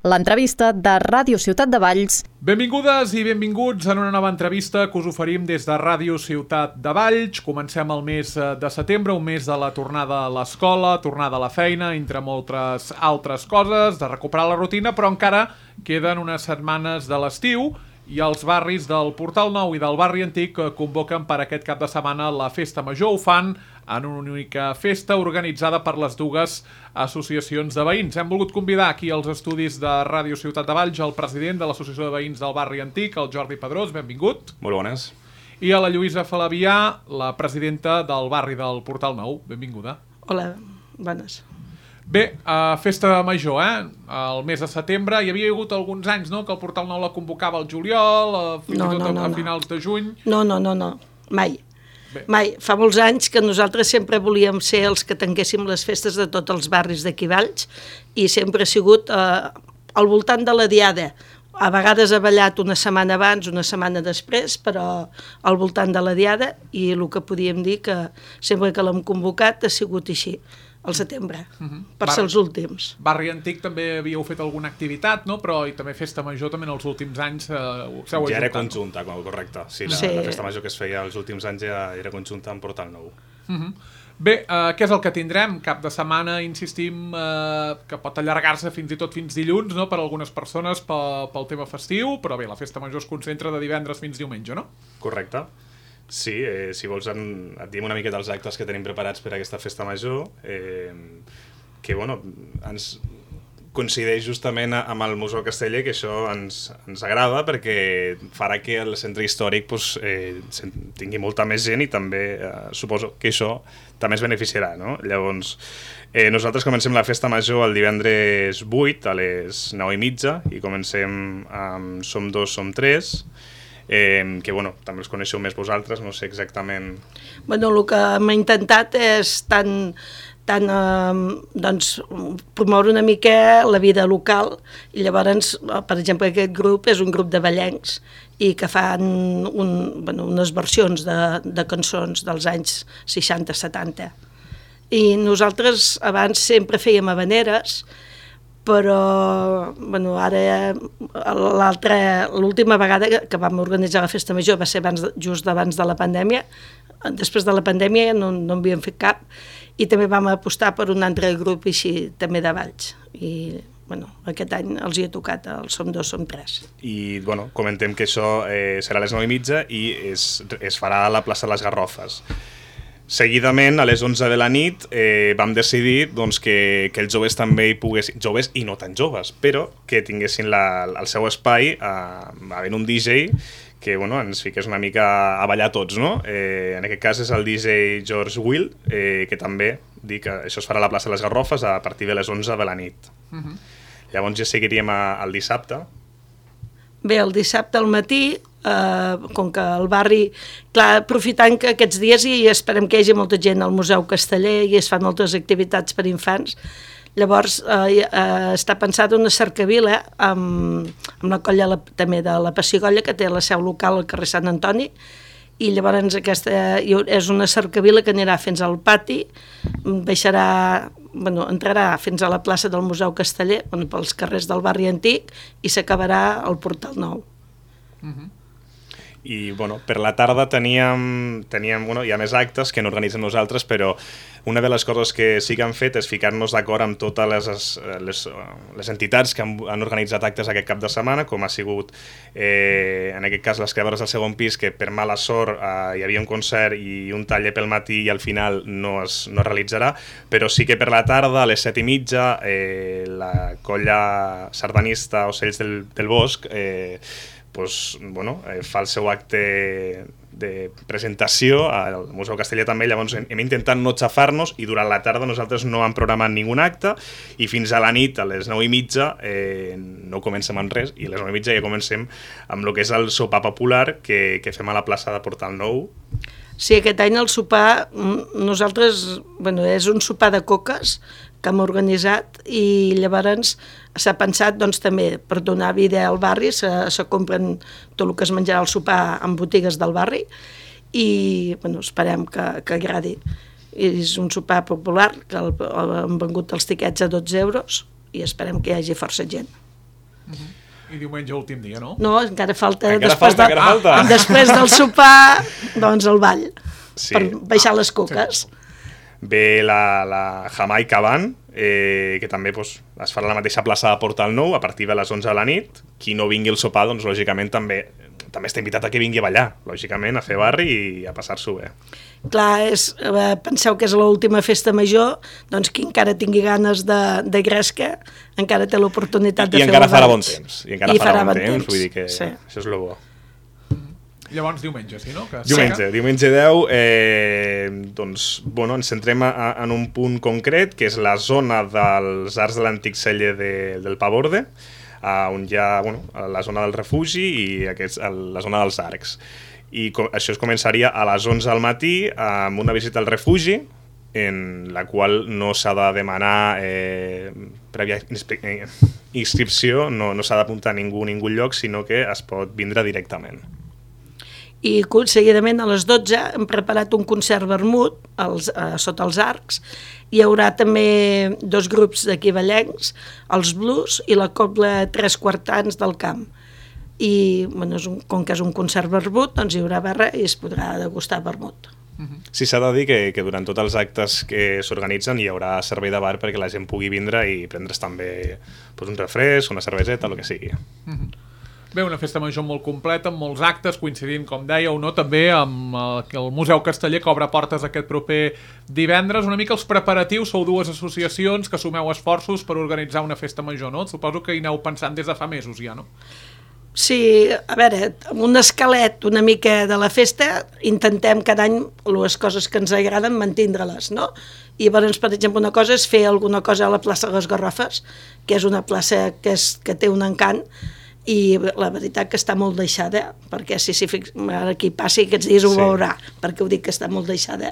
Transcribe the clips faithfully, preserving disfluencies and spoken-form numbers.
l'entrevista de Ràdio Ciutat de Valls. Benvingudes i benvinguts en una nova entrevista que us oferim des de Ràdio Ciutat de Valls. Comencem el mes de setembre, un mes de la tornada a l'escola, tornada a la feina, entre moltes altres coses, de recuperar la rutina, però encara queden unes setmanes de l'estiu i els barris del Portal Nou i del barri Antic convoquen per aquest cap de setmana la Festa Major. Ho fan en una única festa organitzada per les dues associacions de veïns. Hem volgut convidar aquí als estudis de Ràdio Ciutat de Valls el president de l'Associació de Veïns del barri Antic, el Jordi Pedrós, benvingut. Molt bones. I a la Lluïsa Falavià, la presidenta del barri del Portal Nou, benvinguda. Hola, bones. Bé, uh, Festa Major, eh? El mes de setembre. Hi havia hagut alguns anys, no?, que el Portal Nou la convocava al juliol, uh, fins no, i tot no, a, no, a no. finals de juny. No, no, no, no, mai. Bé. Mai. Fa molts anys que nosaltres sempre volíem ser els que tanquéssim les festes de tots els barris d'aquí Valls i sempre ha sigut uh, al voltant de la Diada. A vegades ha ballat una setmana abans, una setmana després, però al voltant de la Diada, i el que podíem dir que sempre que l'hem convocat ha sigut així, al setembre, uh-huh. per ser els últims. Barri Antic també havíeu fet alguna activitat, no? Però i també Festa Major també en els últims anys eh, s'heu ajuntat. Ja era conjunta, correcte. Sí, la, Sí. la Festa Major que es feia els últims anys ja era conjunta amb Portal Nou. Uh-huh. Bé, eh, què és el que tindrem? Cap de setmana, insistim, eh, que pot allargar-se fins i tot fins dilluns, no?, per a algunes persones pel, pel tema festiu, però bé, la Festa Major es concentra de divendres fins diumenge, no? Correcte. Sí, eh, si vols en, et diem una miqueta els actes que tenim preparats per a aquesta Festa Major, eh, que bueno, ens coincideix justament amb el Museu Casteller, que això ens, ens agrada perquè farà que el centre històric pues, eh, tingui molta més gent i també eh, suposo que això també es beneficiarà, no? Llavors, eh, nosaltres comencem la Festa Major el divendres vuit a les nou i mitja i comencem amb Som dos, som tres, Eh, que bueno, també els coneixeu més vosaltres, no sé exactament... Bueno, el que hem intentat és tant, tant eh, doncs, promoure una mica la vida local i llavors, per exemple, aquest grup és un grup de ballencs i que fan un, bueno, unes versions de, de cançons dels anys seixanta setanta. I nosaltres abans sempre fèiem habaneres, però bueno, ara l'última vegada que vam organitzar la Festa Major va ser abans, just abans de la pandèmia. Després de la pandèmia no, no en havíem fet cap i també vam apostar per un altre grup així també de Valls i bueno, aquest any els hi ha tocat el Som dos, som tres. I bueno, comentem que això eh, serà a les nou i mitja i es, es farà a la plaça de les Garrofes. Seguidament, a les onze de la nit, eh, vam decidir doncs, que, que els joves també hi poguessin, joves i no tan joves, però que tinguessin la, el seu espai eh, havent un D J que bueno, ens fiqués una mica a ballar tots, no? Eh, en aquest cas és el D J George Will, eh, que també dic que això es farà a la plaça de les Garrofes a partir de les onze de la nit. Uh-huh. Llavors ja seguiríem a, al dissabte. Bé, el dissabte al matí, eh, com que el barri, clar, aprofitant que aquests dies i esperem que hi hagi molta gent al Museu Casteller i es fan moltes activitats per infants, llavors eh, eh, està pensada una cercavila amb, amb la colla la, també de la Pessigolles, que té la seu local al carrer Sant Antoni, i llavors aquesta és una cercavila que anirà fins al pati, baixarà, bueno, entrarà fins a la plaça del Museu Casteller, bueno, pels carrers del barri Antic, i s'acabarà al Portal Nou. Uh-huh. I bueno, per la tarda teníem, teníem bueno, hi ha més actes que no organitzem nosaltres, però una de les coses que sí que han fet és ficar-nos d'acord amb totes les, les, les entitats que han, han organitzat actes aquest cap de setmana, com ha sigut eh, en aquest cas les Creadores del Segon Pis, que per mala sort eh, hi havia un concert i un taller pel matí i al final no es, no es realitzarà, però sí que per la tarda a les set i mitja eh, la colla sardanista Ocells del, del Bosc eh, pues, bueno, eh, fa el seu acte de presentació al Museu Casteller també, llavors hem, hem intentat no xafar-nos i durant la tarda nosaltres no hem programat ningun acte i fins a la nit, a les nou i mitja, eh, no comencem amb res i a les nou i mitja ja comencem amb el que és el sopar popular que, que fem a la plaça de Portal Nou. Sí, aquest any el sopar, nosaltres, bueno, és un sopar de coques que hem organitzat i llavors s'ha pensat doncs, també per donar vida al barri, se, se compren tot el que es menjarà al sopar en botigues del barri i bueno, esperem que, que agradi. És un sopar popular que el, el, han vengut els tiquets a dotze euros i esperem que hi hagi força gent. Uh-huh. I diumenge últim dia, no? No, encara falta... Encara després falta, de, encara falta. Ah, després del sopar, doncs el ball, Sí. per baixar les coques. Ve la, la Jamaica Band, eh, que també pues, es farà a la mateixa plaça de Portal Nou a partir de les onze de la nit. Qui no vingui al sopar, doncs lògicament també, també està invitat a que vingui a ballar, lògicament, a fer barri i a passar-s'ho bé. Clar, és, eh, penseu que és l'última festa major, doncs qui encara tingui ganes de, de gresca encara té l'oportunitat de I fer encara el farà ball. bon temps, i encara I farà, farà bon bon temps, temps, vull dir que sí. això és el bo. Llavors diumenge, sí, no? Que Diumenge, diumenge deu, eh, doncs, bueno, ens centrem a, en un punt concret, que és la zona dels arcs de l'antic celler de, del Paborde, uh, on hi ha bueno, la zona del refugi i aquests, el, la zona dels arcs. I com, això es començaria a les onze del matí amb una visita al refugi, en la qual no s'ha de demanar eh, prèvia eh, inscripció, no, no s'ha d'apuntar a ningú, ningú lloc, sinó que es pot vindre directament. I seguidament a les dotze hem preparat un concert vermut als, eh, sota els arcs. Hi haurà també dos grups d'aquí ballencs, els blues i la cobla Tres Quartans del Camp. I bueno, és un, com que és un concert vermut, doncs hi haurà barra i es podrà degustar vermut. Sí, s'ha de dir que, que durant tots els actes que s'organitzen hi haurà servei de bar perquè la gent pugui vindre i prendre's també pues, un refresc, una cerveseta, el que sigui. Mm-hmm. Bé, una festa major molt completa, amb molts actes, coincidint, com dèieu, no? També amb el, el Museu Casteller, que obre portes aquest proper divendres. Una mica els preparatius, sou dues associacions que sumeu esforços per organitzar una festa major, no? Suposo que hi aneu pensant des de fa mesos ja, no? Sí, a veure, amb un esquelet una mica de la festa intentem cada any les coses que ens agraden mantindre-les, no? I llavors, per exemple, una cosa és fer alguna cosa a la plaça de les Garrofes, que és una plaça que, és, que té un encant, i la veritat que està molt deixada, perquè si, si fix, ara qui passi aquests dies ho Sí. veurà, perquè ho dic que està molt deixada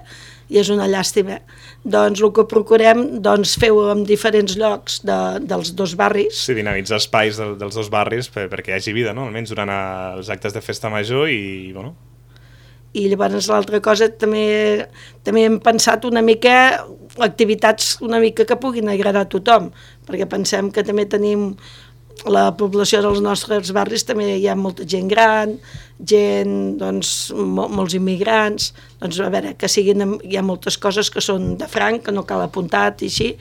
i és una llàstima. Doncs el que procurem, doncs fer-ho en diferents llocs de, dels dos barris. Sí, dinamitzar espais del, dels dos barris per, perquè hi hagi vida, no? Almenys durant els actes de festa major i, bueno... I llavors l'altra cosa també, també hem pensat una mica activitats una mica que puguin agradar a tothom, perquè pensem que també tenim la població dels nostres barris, també hi ha molta gent gran, gent, doncs, mol, molts immigrants, doncs a veure, que siguin, hi ha moltes coses que són de franc, que no cal apuntat i així,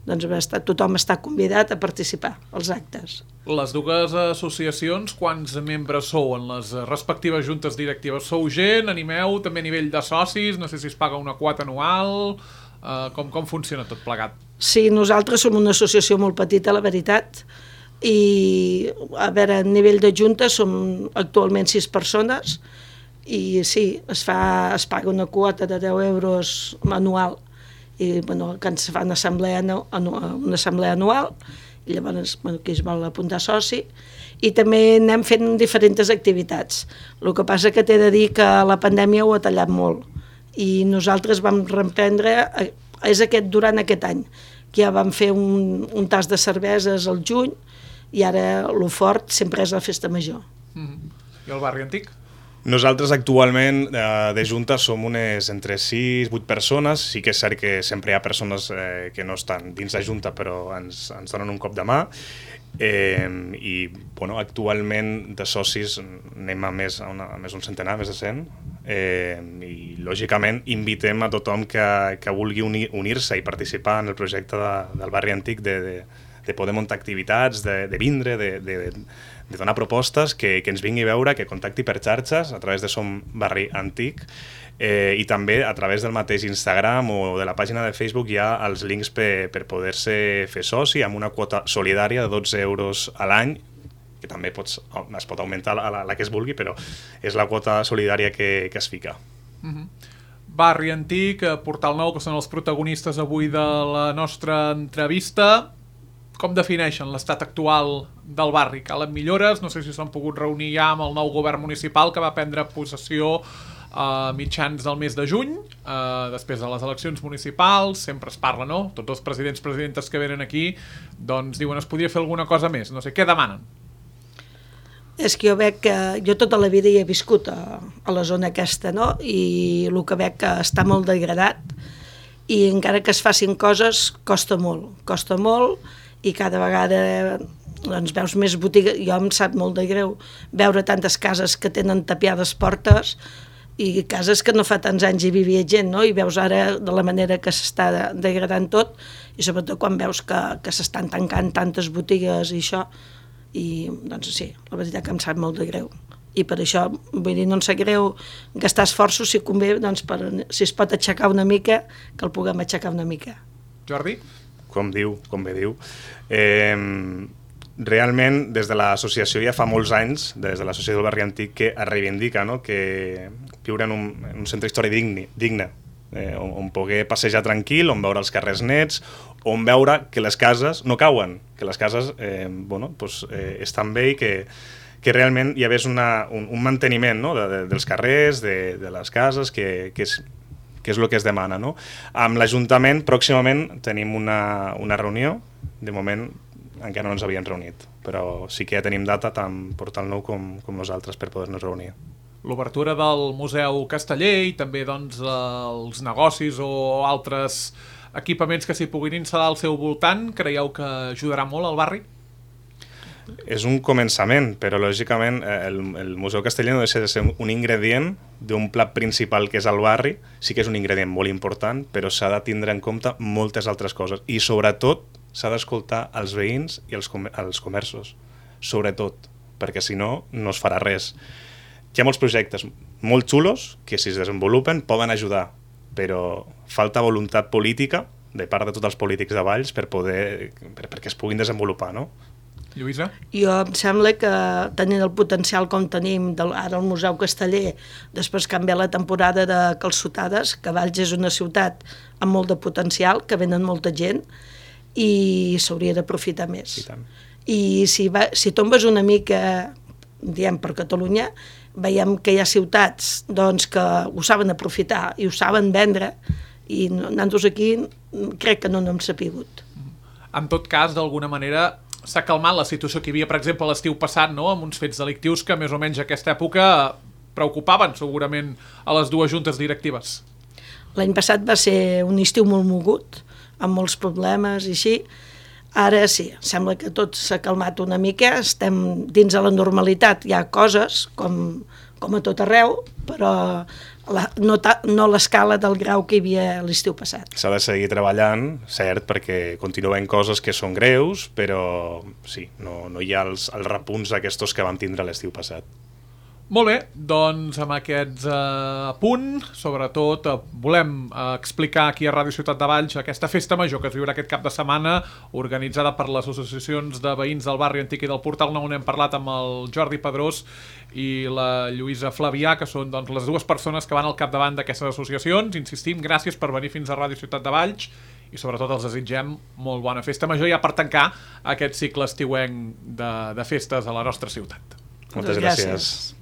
doncs està, tothom està convidat a participar als actes. Les dues associacions, quants membres sou en les respectives juntes directives? Sou gent, animeu també a nivell de socis, no sé si es paga una quota anual, uh, com, com funciona tot plegat? Sí, nosaltres som una associació molt petita, la veritat, i a veure, a nivell de junta som actualment sis persones i sí, es, fa, es paga una quota de deu euros anual i bueno, que ens fa una assemblea, una assemblea anual i llavors bueno, qui es vol apuntar soci i també anem fent diferents activitats. El que passa que t'he de dir que la pandèmia ho ha tallat molt i nosaltres vam reprendre, és aquest, durant aquest any, que ja vam fer un, un tas de cerveses al juny i ara el fort sempre és la festa major. Mm-hmm. I el barri antic? Nosaltres actualment eh, de Junta som unes entre sis vuit persones, sí que és cert que sempre hi ha persones eh, que no estan dins la Junta però ens, ens donen un cop de mà eh, i bueno, actualment de socis anem a més, a una, a més un centenar, més de cent eh, i lògicament invitem a tothom que, que vulgui unir, unir-se i participar en el projecte de, del barri antic de, de, de poder muntar activitats, de, de vindre, de, de, de donar propostes, que, que ens vingui a veure, que contacti per xarxes a través de Som Barri Antic eh, i també a través del mateix Instagram o de la pàgina de Facebook hi ha els links per, per poder-se fer soci amb una quota solidària de dotze euros a l'any, que també pots, es pot augmentar la, la, la que es vulgui, però és la quota solidària que, que es fica. Mm-hmm. Barri Antic, Portal Nou, que són els protagonistes avui de la nostra entrevista. Com defineixen l'estat actual del barri? Calen millores? No sé si s'han pogut reunir ja amb el nou govern municipal que va prendre possessió a mitjans del mes de juny, eh, després de les eleccions municipals. Sempre es parla, no? Tots els presidents, presidentes que venen aquí, doncs diuen es podria fer alguna cosa més. No sé, què demanen? És que jo veig que jo tota la vida hi he viscut a, a la zona aquesta, no? I el que veig que està molt degradat i encara que es facin coses costa molt, costa molt i cada vegada doncs veus més botigues, jo em sap molt de greu veure tantes cases que tenen tapiades portes i cases que no fa tants anys hi vivia gent, no? I veus ara de la manera que s'està degradant tot, i sobretot quan veus que, que s'estan tancant tantes botigues i això, i doncs sí, la veritat que em sap molt de greu. I per això, vull dir, no em sap greu gastar esforços, si convé, doncs per, si es pot aixecar una mica, que el puguem aixecar una mica. Jordi? Com diu, com bé diu. Eh, realment, des de l'associació ja fa molts anys, des de l'associació del Barri Antic, que es reivindica, no?, que viure en un, en un centre històric digne, digne eh, on, on poder passejar tranquil, on veure els carrers nets, on veure que les cases no cauen, que les cases eh, bueno, pues, eh, estan bé i que, que realment hi hagués una, un, un manteniment, no?, de, de, dels carrers, de, de les cases, que, que és que és el que es demana, no? Amb l'Ajuntament, pròximament, tenim una, una reunió. De moment, encara no ens havien reunit, però sí que ja tenim data tant Portal Nou com, com nosaltres per poder-nos reunir. L'obertura del Museu Casteller i també doncs, els negocis o altres equipaments que s'hi puguin instal·lar al seu voltant, creieu que ajudarà molt al barri? És un començament, però lògicament el, el Museu Casteller no deixa de ser un ingredient d'un plat principal que és el barri. Sí que és un ingredient molt important, però s'ha de tindre en compte moltes altres coses i sobretot s'ha d'escoltar els veïns i els, com els comerços, sobretot, perquè si no, no es farà res. Hi ha molts projectes molt xulos que si es desenvolupen poden ajudar, però falta voluntat política de part de tots els polítics de Valls per poder, per, perquè es puguin desenvolupar, no? Lluïsa? Jo em sembla que tenint el potencial com tenim del, ara al Museu Casteller, després canviar la temporada de calçotades, que Valls és una ciutat amb molt de potencial, que venen molta gent, i s'hauria d'aprofitar més. I tant. I si, va, si tombes una mica, diem per Catalunya, veiem que hi ha ciutats doncs, que ho saben aprofitar i ho saben vendre, i nosaltres aquí crec que no n'hem sapigut. En tot cas, d'alguna manera, s'ha calmat la situació que hi havia, per exemple, l'estiu passat, no?, amb uns fets delictius que més o menys a aquesta època preocupaven segurament a les dues juntes directives. L'any passat va ser un estiu molt mogut, amb molts problemes i així. Ara sí, sembla que tot s'ha calmat una mica, estem dins de la normalitat, hi ha coses com, com a tot arreu, però la, no, ta, no l'escala del grau que hi havia l'estiu passat. S'ha de seguir treballant, cert, perquè continuen coses que són greus, però sí, no, no hi ha els, els repunts aquests que vam tindre l'estiu passat. Molt bé, doncs amb aquests eh, apunt, sobretot eh, volem eh, explicar aquí a Ràdio Ciutat de Valls aquesta festa major que es viurà aquest cap de setmana, organitzada per les associacions de veïns del barri Antic i del Portal Nou, on hem parlat amb el Jordi Pedrós i la Lluïsa Flavià, que són doncs, les dues persones que van al capdavant d'aquestes associacions. Insistim, gràcies per venir fins a Ràdio Ciutat de Valls i sobretot els desitgem molt bona festa major ja per tancar aquest cicle estiuenc de, de festes a la nostra ciutat. Moltes gràcies. gràcies.